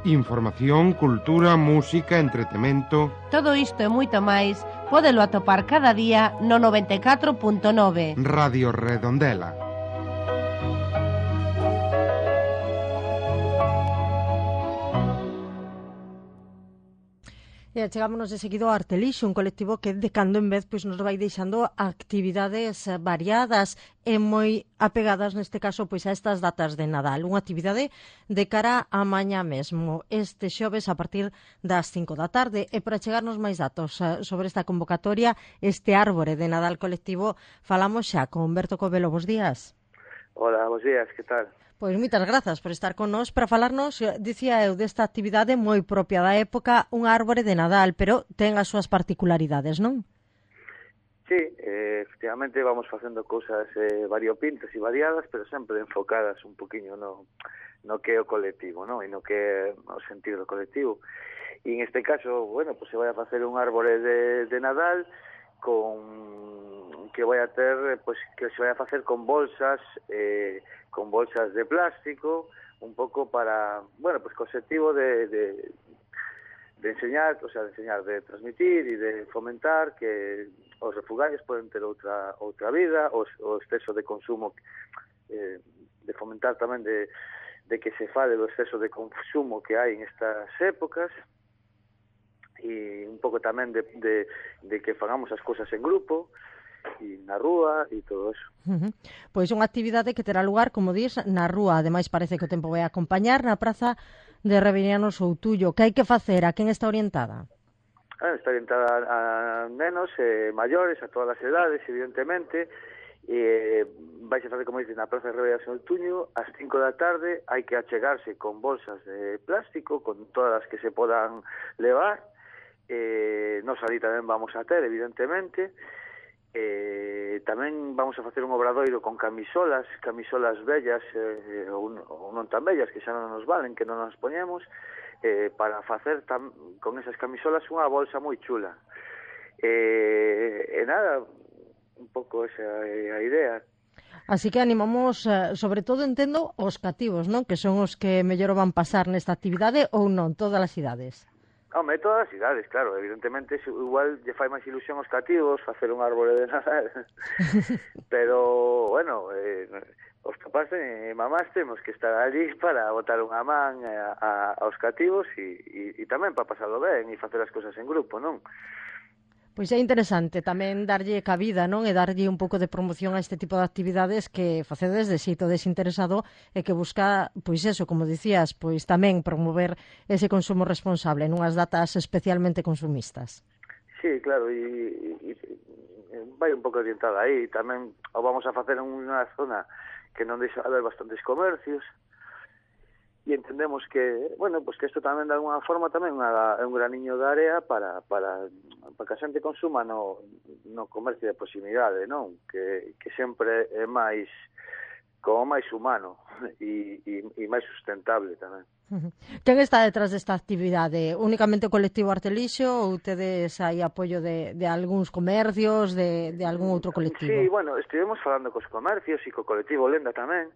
Información, cultura, música, entretemento... Todo isto e moito máis pódelo atopar cada día no 94.9 Radio Redondela. E chegámonos de seguido ao Artelixo, un colectivo que de cando en vez pois nos vai deixando actividades variadas e moi apegadas neste caso pois a estas datas de Nadal. Unha actividade de cara a mañá mesmo, este xoves a partir das 5 da tarde. E para chegarnos máis datos sobre esta convocatoria, este árbore de Nadal colectivo, falamos xa con Berto Covelo. Bos días. Hola, bos días, que tal? Pois moitas grazas por estar con nós para falarnos, dicía eu, desta actividade moi propia da época, un árbore de Nadal, pero ten as súas particularidades, non? Sí, efectivamente vamos facendo cousas variopintas e variadas, pero sempre enfocadas un poquinho no que é o colectivo, non? E no que é o sentido do colectivo. E en este caso, bueno, pues se vai a facer un árbore de Nadal que vai a ter, pues que se vai a facer con bolsas de plástico, un pouco para, bueno, pues co objetivo de enseñar, o sea, de transmitir e de fomentar que os refugarios poden ter outra vida, o exceso de consumo, de fomentar tamén de que se fale do exceso de consumo que hai en estas épocas, e un pouco tamén de que fagamos as cousas en grupo, e na rúa e todo eso. Pois unha actividade que terá lugar, como dis, na rúa. Ademais parece que o tempo vai acompañar na praza de Reveriano Soutullo. Que hai que facer? A quen está orientada? Está orientada a nenos maiores, a todas as edades, evidentemente. Vais a facer, como dices, na praza de Reveriano Soutullo ás 5 da tarde. Hai que achegarse con bolsas de plástico, con todas as que se podan levar. Nos ali tamén vamos a ter, evidentemente. Tamén vamos a facer un obradoiro con camisolas bellas ou non tan bellas, que xa non nos valen, que non nos poñemos, para facer con esas camisolas unha bolsa moi chula. E nada, un pouco esa é a idea. Así que animamos, sobre todo entendo, os cativos, non? Que son os que mellor van pasar nesta actividade, ou non, todas as idades? Home, todas as idades, claro, evidentemente igual lle fai máis ilusión aos cativos facer un árbore de Nadal, pero, bueno, os papás e mamás temos que estar allí para botar unha man aos cativos e tamén para pasarlo ben e facer as cousas en grupo, non? Pois é interesante tamén darlle cabida, non? E darlle un pouco de promoción a este tipo de actividades que facedes de xeito desinteresado e que busca, pois eso, como dicías, pois tamén promover ese consumo responsable nunhas datas especialmente consumistas. Sí, claro, e vai un pouco orientada aí. Tamén o vamos a facer en unha zona que non deixa haber bastantes comercios, e entendemos que, bueno, pues que isto tamén de alguna forma tamén é un graniño de area para que a xente consuma no comercio de proximidade, non? Que sempre é máis humano e máis sustentable tamén. Quen está detrás desta actividade? Únicamente o colectivo Artelixo ou tedes aí apoio de algúns comercios, de algún outro colectivo? Sí, bueno, estivemos falando cos comercios e co colectivo Lenda tamén,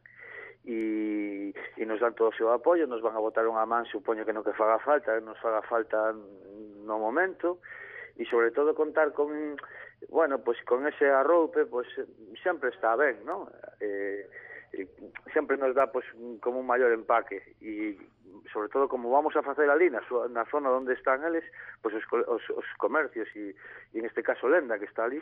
e nos dan todo o seu apoio, nos van a botar unha man, supoño que no que faga falta, nos faga falta no momento, e sobre todo contar con, bueno, pues con ese arroupe, pues sempre está ben, non? Sempre nos dá pues como un maior empaque, e sobre todo como vamos a facer ali na zona onde están eles, pues os comercios e en este caso Lenda que está ali,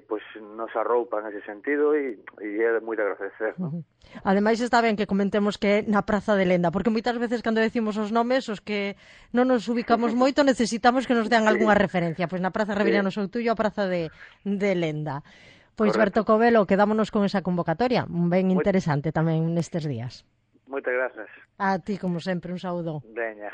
pues nos arroupan ese sentido e é moi de agradecer, non? Ademais está ben que comentemos que é na Praza de Lenda, porque moitas veces cando decimos os nomes, os que non nos ubicamos moito, necesitamos que nos den algunha referencia. Pois na Praza Reveriano Soutullo, a Praza de Lenda. Pois Berto Covelo, quedámonos con esa convocatoria, ben interesante tamén nestes días. Moitas grazas. A ti, como sempre, un saúdo. Veña.